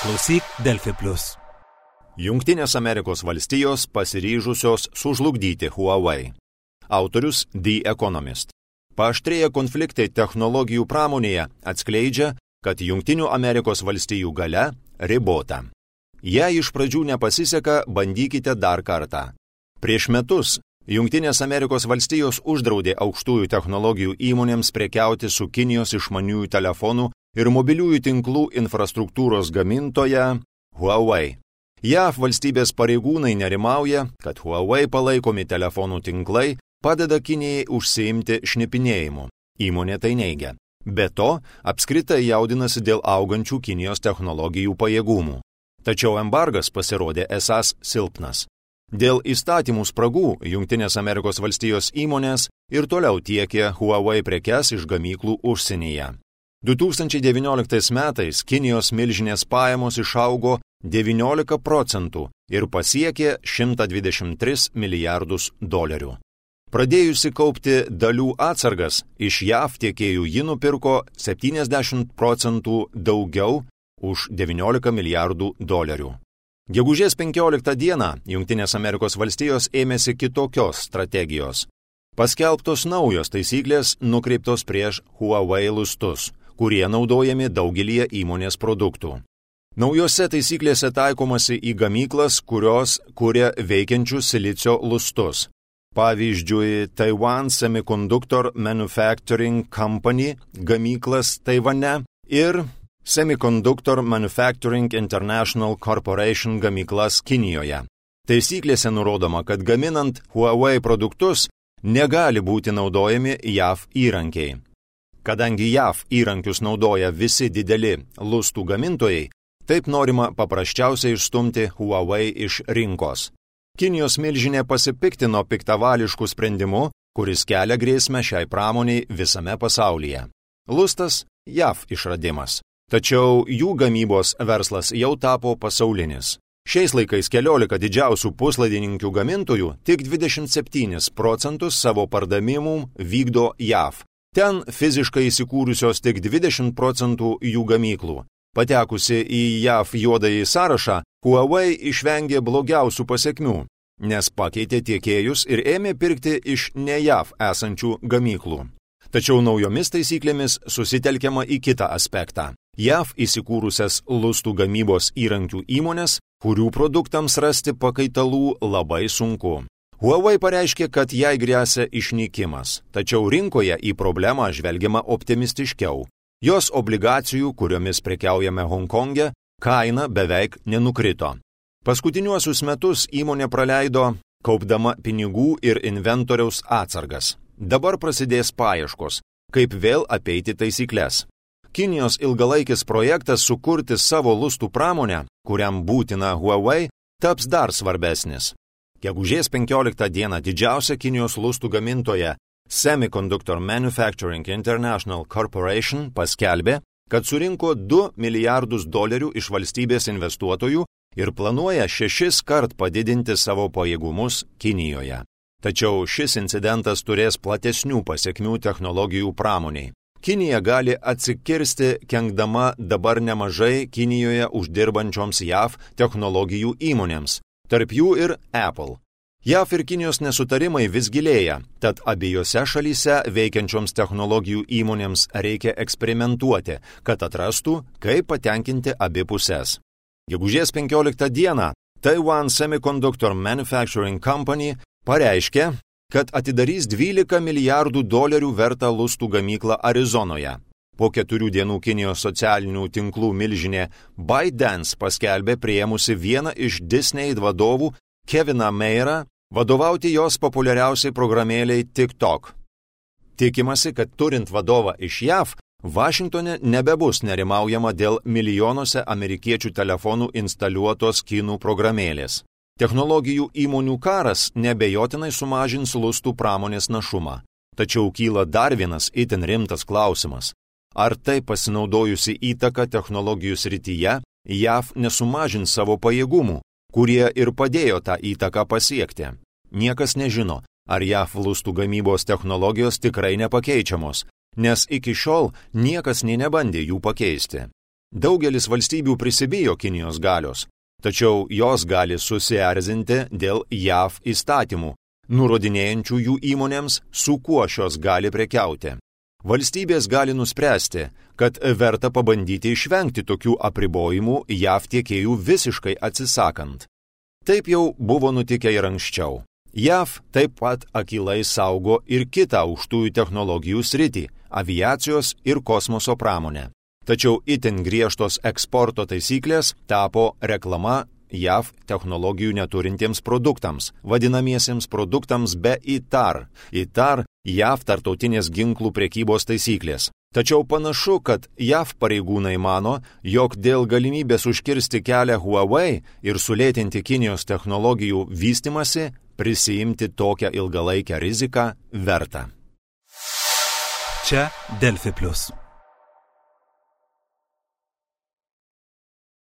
Klausyk Delfi Plus. Jungtinės Amerikos valstijos pasiryžusios sužlugdyti Huawei. Autorius The Economist. Paaštrėję konfliktai technologijų pramonėje atskleidžia, kad Jungtinių Amerikos valstijų galia ribota. Jei iš pradžių nepasiseka, bandykite dar kartą. Prieš metus Jungtinės Amerikos valstijos uždraudė aukštųjų technologijų įmonėms prekiauti su Kinijos išmaniųjų telefonų ir mobiliųjų tinklų infrastruktūros gamintoja Huawei. JAV valstybės pareigūnai nerimauja, kad Huawei palaikomi telefonų tinklai padeda Kinijai užsiimti šnipinėjimu. Įmonė tai neigia. Be to, apskritai jaudinasi dėl augančių Kinijos technologijų pajėgumų. Tačiau embargas pasirodė esąs silpnas. Dėl įstatymų spragų Jungtinės Amerikos valstijos įmonės ir toliau tiekė Huawei prekes iš gamyklų užsienyje. 2019 metais Kinijos milžinės pajamos išaugo 19% ir pasiekė $123 milijardus. Pradėjusi kaupti dalių atsargas, iš JAV tiekėjų ji nupirko 70% daugiau už $19 milijardų. Gegužės 15 dieną Jungtinės Amerikos valstijos ėmėsi kitokios strategijos. Paskelbtos naujos taisyklės nukreiptos prieš Huawei lustus, kurie naudojami daugelyje įmonės produktų. Naujose taisyklėse taikomasi į gamyklas, kurios kuria veikiančius silicio lustus. Pavyzdžiui, Taiwan Semiconductor Manufacturing Company gamyklas Taivane ir Semiconductor Manufacturing International Corporation gamyklas Kinijoje. Taisyklėse nurodoma, kad gaminant Huawei produktus negali būti naudojami JAV įrankiai. Kadangi JAV įrankius naudoja visi dideli lustų gamintojai, taip norima paprasčiausiai išstumti Huawei iš rinkos. Kinijos milžinė pasipiktino piktavališkų sprendimu, kuris kelia grėsmę šiai pramoniai visame pasaulyje. Lustas JAV išradimas. Tačiau jų gamybos verslas jau tapo pasaulinis. Šiais laikais 14 didžiausių puslaidininkių gamintojų tik 27% savo pardavimų vykdo JAV. Ten fiziškai įsikūrusios tik 20% jų gamyklų. Patekusi į JAV juodąjį sąrašą, Huawei išvengė blogiausių pasekmių, nes pakeitė tiekėjus ir ėmė pirkti iš ne JAV esančių gamyklų. Tačiau naujomis taisyklėmis susitelkiama į kitą aspektą. JAV įsikūrusias lustų gamybos įrankių įmonės, kurių produktams rasti pakaitalų labai sunku. Huawei pareiškė, kad jai gresia išnykimas, tačiau rinkoje į problemą žvelgiama optimistiškiau. Jos obligacijų, kuriomis prekiaujame Honkonge, kaina beveik nenukrito. Paskutiniuosius metus įmonė praleido kaupdama pinigų ir inventoriaus atsargas. Dabar prasidės paieškos, kaip vėl apeiti taisyklės. Kinijos ilgalaikis projektas sukurti savo lustų pramonę, kuriam būtina Huawei, taps dar svarbesnis. Gegužės 15 dieną didžiausia Kinijos lustų gamintoja Semiconductor Manufacturing International Corporation paskelbė, kad surinko $2 milijardus iš valstybės investuotojų ir planuoja 6 kart padidinti savo pajėgumus Kinijoje. Tačiau šis incidentas turės platesnių pasekmių technologijų pramoniai. Kinija gali atsikirsti, kenkdama dabar nemažai Kinijoje uždirbančioms JAV technologijų įmonėms, tarp jų ir Apple. JAV ir Kinijos nesutarimai vis gilėja, tad abiejose šalyse veikiančioms technologijų įmonėms reikia eksperimentuoti, kad atrastų, kaip patenkinti abi pusės. Gegužės 15 dieną Taiwan Semiconductor Manufacturing Company pareiškė, kad atidarys $12 milijardų vertą lustų gamyklą Arizonoje. Po 4 dienų Kinijos socialinių tinklų milžinė ByteDance paskelbė priėmusi vieną iš Disney vadovų Keviną Mayerą vadovauti jos populiariausiai programėliai TikTok. Tikimasi, kad turint vadovą iš JAV, Vašingtone nebebus nerimaujama dėl milijonuose amerikiečių telefonų instaliuotos kinų programėlės. Technologijų įmonių karas nebejotinai sumažins lustų pramonės našumą. Tačiau kyla dar vienas itin rimtas klausimas. Ar tai pasinaudojusi įtaka technologijų srityje, JAV nesumažins savo pajėgumų, kurie ir padėjo tą įtaką pasiekti? Niekas nežino, ar JAV lustų gamybos technologijos tikrai nepakeičiamos, nes iki šiol niekas nė nebandė jų pakeisti. Daugelis valstybių prisibijo Kinijos galios, tačiau jos gali susierzinti dėl JAV įstatymų, nurodinėjančių jų įmonėms, su kuo šios gali prekiauti. Valstybės gali nuspręsti, kad verta pabandyti išvengti tokių apribojimų JAV tiekėjų visiškai atsisakant. Taip jau buvo nutikę ir anksčiau. JAV taip pat akylai saugo ir kitą aukštųjų technologijų sritį – aviacijos ir kosmoso pramonę. Tačiau itin griežtos eksporto taisyklės tapo reklama JAV technologijų neturintiems produktams, vadinamiesiems produktams be ITAR. ITAR – JAV tarptautinės ginklų prekybos taisyklės. Tačiau panašu, kad JAV pareigūnai mano, jog dėl galimybės užkirsti kelią Huawei ir sulėtinti Kinijos technologijų vystimasi, prisiimti tokią ilgalaikę riziką verta. Čia Delfi Plus.